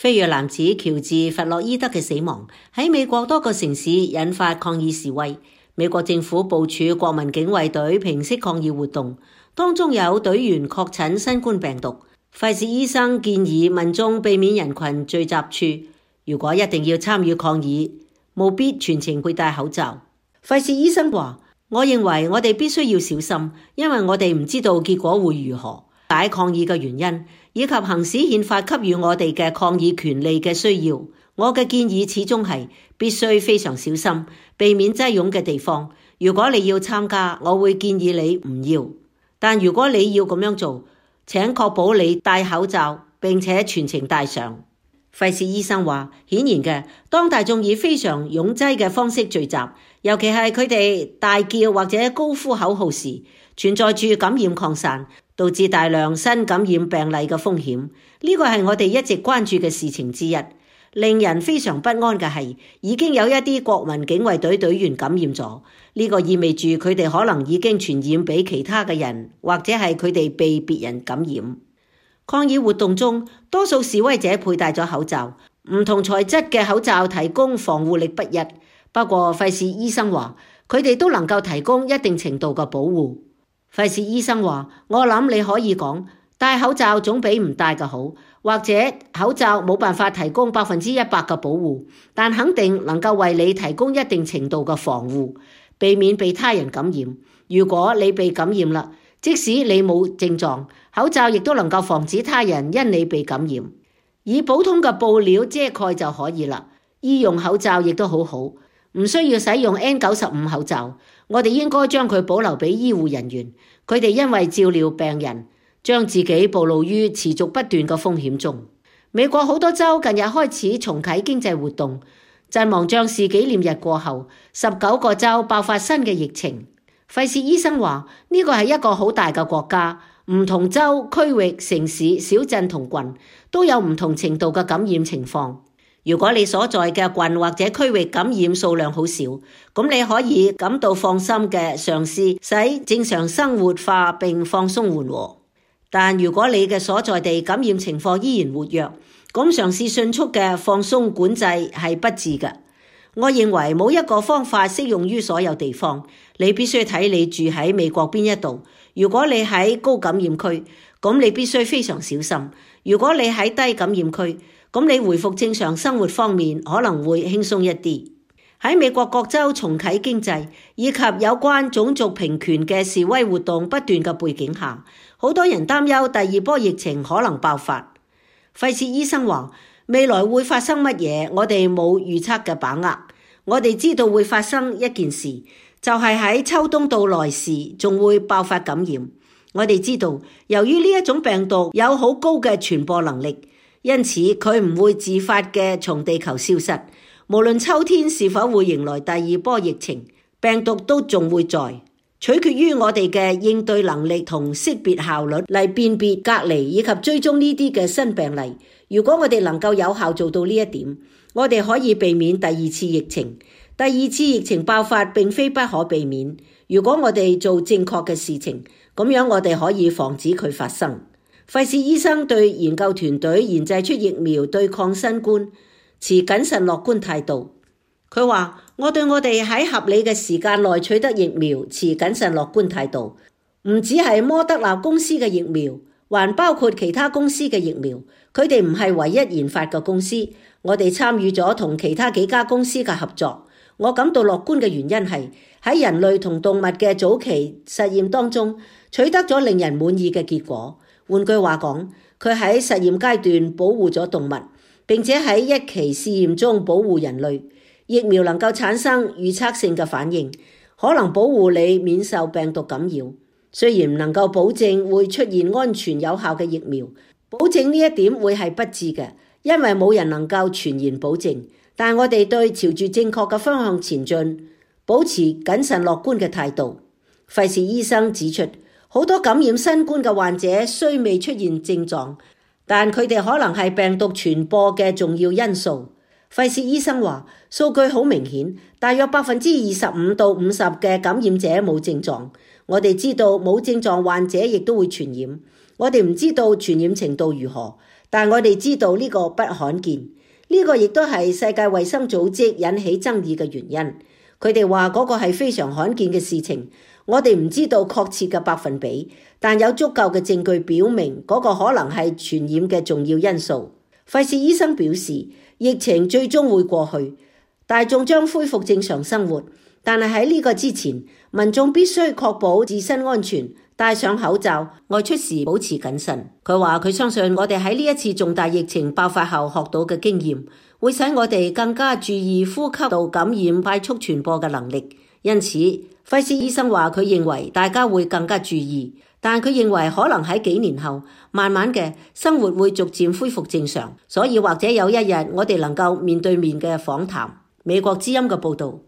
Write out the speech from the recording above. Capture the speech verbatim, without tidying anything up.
非裔男子喬治·弗洛伊德嘅死亡喺美國多個城市引發抗議示威，美國政府部署國民警衛隊平息抗議活動，當中有隊員確診新冠病毒。費氏醫生建議民眾避免人群聚集處，如果一定要參與抗議，務必全程佩戴口罩。費氏醫生話：我認為我哋必須要小心，因為我哋唔知道結果會如何。解抗議嘅原因，以及行使憲法給予我哋嘅抗議權利嘅需要，我嘅建議始終係必須非常小心，避免擠擁嘅地方。如果你要參加，我會建議你唔要。但如果你要咁樣做，請確保你戴口罩，並且全程戴上。費氏醫生話，顯然嘅，當大眾以非常擁擠嘅方式聚集，尤其係佢哋大叫或者高呼口號時，存在住感染擴散，導致大量新感染病例嘅風險。呢個係我哋一直關注嘅事情之一。令人非常不安嘅係，已經有一啲國民警衛隊隊員感染咗。呢個意味住佢哋可能已經傳染俾其他嘅人，或者係佢哋被別人感染。抗議活動中，多數示威者佩戴咗口罩，唔同材質嘅口罩提供防護力不一。不過費氏醫生話，佢哋都能夠提供一定程度嘅保護。費氏醫生話，我諗你可以講，戴口罩總比唔戴嘅好，或者口罩冇辦法提供百分之一百嘅保護，但肯定能夠為你提供一定程度嘅防護，避免被他人感染。如果你被感染啦，即使你冇症狀，口罩亦都能夠防止他人因你被感染。以普通嘅布料遮蓋就可以啦。醫用口罩亦都好好，唔需要使用 N 九十五 口罩。我哋應該將佢保留俾醫護人員，佢哋因為照料病人，將自己暴露於持續不斷嘅風險中。美國好多州近日開始重啟經濟活動。陣亡將士紀念日過後，十九個州爆發新嘅疫情。費氏醫生話，呢個係一個好大嘅國家，唔同州、區域、城市、小鎮同郡都有唔同程度嘅感染情況。如果你所在嘅郡或者區域感染數量好少，咁你可以感到放心嘅嘗試使正常生活化並放鬆緩和。但如果你嘅所在地感染情況依然活躍，咁嘗試迅速嘅放鬆管制係不智嘅。我認為冇一個方法適用於所有地方，你必須睇你住喺美國邊一度。如果你喺高感染區，咁你必須非常小心。如果你喺低感染區，咁你回復正常生活方面可能會輕鬆一啲。喺美國各州重啟經濟以及有關種族平權嘅示威活動不斷嘅背景下，好多人擔憂第二波疫情可能爆發。費氏醫生話，未來會發生乜嘢，我哋冇預測嘅把握。我哋知道會發生一件事，就係喺秋冬到來時仲會爆發感染。我哋知道，由於呢一種病毒有好高嘅傳播能力，因此佢唔會自發嘅從地球消失。無論秋天是否會迎來第二波疫情，病毒都仲會在，取決於我哋嘅應對能力同識別效率嚟辨別、隔離以及追蹤呢啲嘅新病例。如果我哋能夠有效做到呢一點，我哋可以避免第二次疫情。第二次疫情爆發並非不可避免，如果我哋做正確嘅事情，咁樣我哋可以防止佢發生。費氏醫生對研究團隊研製出疫苗對抗新冠持謹慎樂觀態度。佢話，我對我哋喺合理嘅時間內取得疫苗持謹慎樂觀態度，唔只係摩德納公司嘅疫苗，還包括其他公司嘅疫苗。佢哋唔係唯一研發嘅公司，我哋參與咗同其他幾家公司嘅合作。我感到樂觀嘅原因係喺人類同動物嘅早期實驗當中取得咗令人滿意嘅結果。換句話講，佢喺實驗階段保護咗動物，並且喺一期試驗中保護人類。疫苗能夠產生預測性嘅反應，可能保護你免受病毒感染。雖然唔能夠保證會出現安全有效嘅疫苗，保證呢一點會係不智嘅，因為冇人能夠全然保證。但我哋對朝住正確嘅方向前進，保持謹慎樂觀嘅態度。費氏醫生指出，好多感染新冠嘅患者雖未出現症狀，但佢哋可能係病毒傳播嘅重要因素。費氏醫生話，數據好明顯，大約百分之二十五到五十嘅感染者冇症狀。我哋知道冇症狀患者亦都會傳染，我哋唔知道傳染程度如何，但我哋知道呢個不罕見，呢個亦都係世界衛生組織引起爭議嘅原因。佢哋話嗰個係非常罕見嘅事情，我哋唔知道確切嘅百分比，但有足夠嘅證據表明嗰個可能係傳染嘅重要因素。費氏醫生表示，疫情最終會過去，大眾將恢復正常生活，但係喺呢個之前，民眾必須確保自身安全，戴上口罩，外出時保持謹慎。佢話佢相信我哋喺呢一次重大疫情爆發後學到嘅經驗，會使我哋更加注意呼吸道感染快速傳播嘅能力。因此，費氏醫生話佢認為大家會更加注意，但佢認為可能喺幾年後，慢慢嘅生活會逐漸恢復正常，所以或者有一日我哋能夠面對面嘅訪談。美國之音嘅報導。